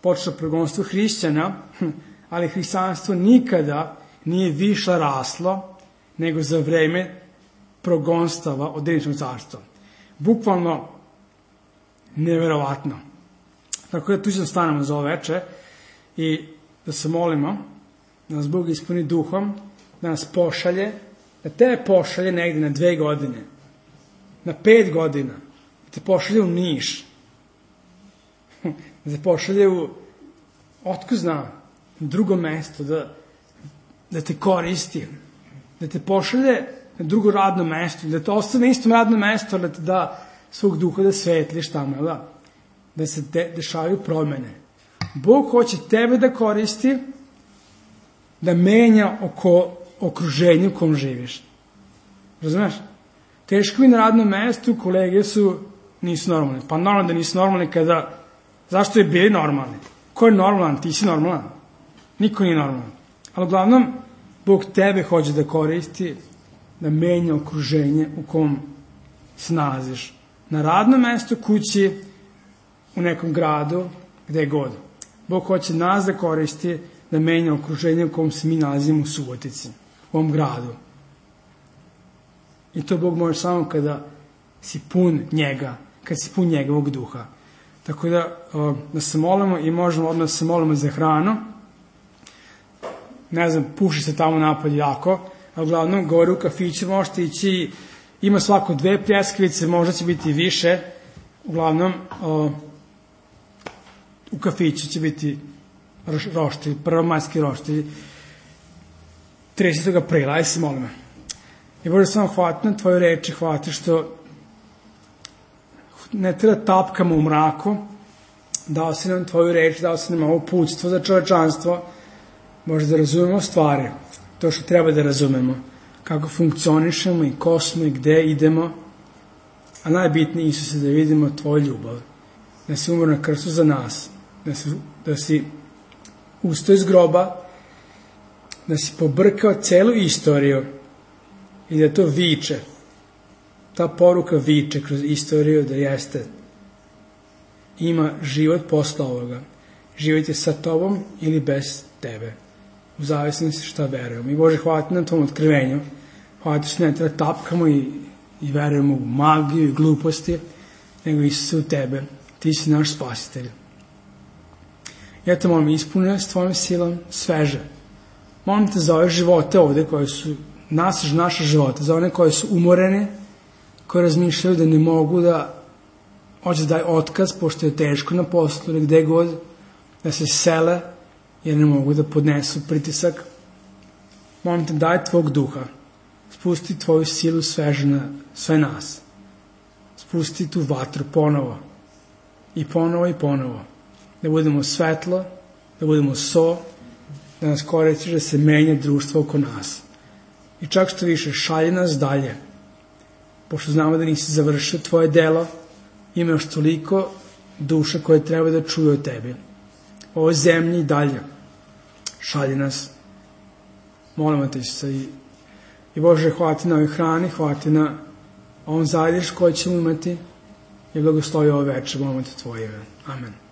počeo progonstvo hrišćana, ali hrišćanstvo nikada nije više raslo nego za vreme progonstava od Rimskog carstva. Bukvalno neverovatno. Tako da tu ćemo stanemo za ovo veče i da se molimo da nas Bog ispuni duhom, da nas pošalje, da te pošalje negde na 2 godine, na 5 godina, da te pošalje u Niš, da te pošalje u, otko zna, na drugo mesto, da te koristi, da te pošalje na drugo radno mesto, da te ostane na istom radnom mestu, da te da svog duha da svetliš tamo, da se dešavaju promene. Bog hoće tebe da koristi, da menja oko okruženja u kom živiš. Razumeš? Teško mi na radnom mestu, kolege nisu normalni. Pa normalno da nisu normalni kada, zašto je bili normalni? Ko je normalan? Ti si normalan. Niko nije normalan. Ali uglavnom, Bog tebe hoće da koristi, da menja okruženje u kom se nalaziš. Na radnom mestu, kući, u nekom gradu, gde god. Bog hoće nas da koristi, da menja okruženje u kom se mi nalazimo u Subotici, u ovom gradu. I to Bog može samo kada si pun njega, kada si pun njegovog duha. Tako da se molimo i možemo odmah da se molimo za hranu. Ne znam, puši se tamo napolje jako, a uglavnom gore u kafiću možete ići, ima svako 2 pljeskavice, možda će biti više. Uglavnom, u kafiću će biti roštilj, prvomajski roštilj 30. aprila, ajde se molimo. I Bože, samo hvala na tvoje reči, hvala ti što ne treba tapkamo u mraku, dao si nam tvoju reč, dao si nam ovo uputstvo za čovečanstvo, možda da razumemo stvari, to što treba da razumemo. kako funkcionišemo i ko smo i gde idemo, a najbitnije, Isuse, da vidimo Tvoju ljubav, da si umro na krstu za nas, da si ustao iz groba, da si pobrkao celu istoriju i da to viče, ta poruka viče kroz istoriju da jeste, ima život posle ovoga. Život je sa Tobom ili bez Tebe, u zavisnosti šta verujemo. I Bože, hvala Ti na Tvom otkrivenju, hvala Ti što ne treba tapkamo i verujemo u magiju i gluposti, nego Isuse u Tebe. Ti si naš spasitelj. Ja te molim, ispuni s Tvojom silom sveže. Molim te za ove živote ovde koje su naše živote, za one koje su umorene, koje razmišljaju da ne mogu da hoće da daj otkaz, pošto je teško na poslu ili gde god, da se sele jer ne mogu da podnesu pritisak. Molim te, daj Tvog duha, spusti Tvoju silu sveže na sve nas. Spusti tu vatru ponovo i ponovo i ponovo. Da budemo svetlo, da budemo so, da nas koristiš da se menja društvo oko nas. I čak što više, šalje nas dalje, pošto znamo da nisi završio Tvoje delo, ima još toliko duša koje treba da čuju o Tebi. O ovoj zemlji i dalje. Šalje nas. Molimo Te se i Bože, hvala Ti na ovoj hrani, hvala Ti na ovom zajedništvu koje ćemo imati i blagoslovi ovo večer, molimo Te Tvoje ime. Amen.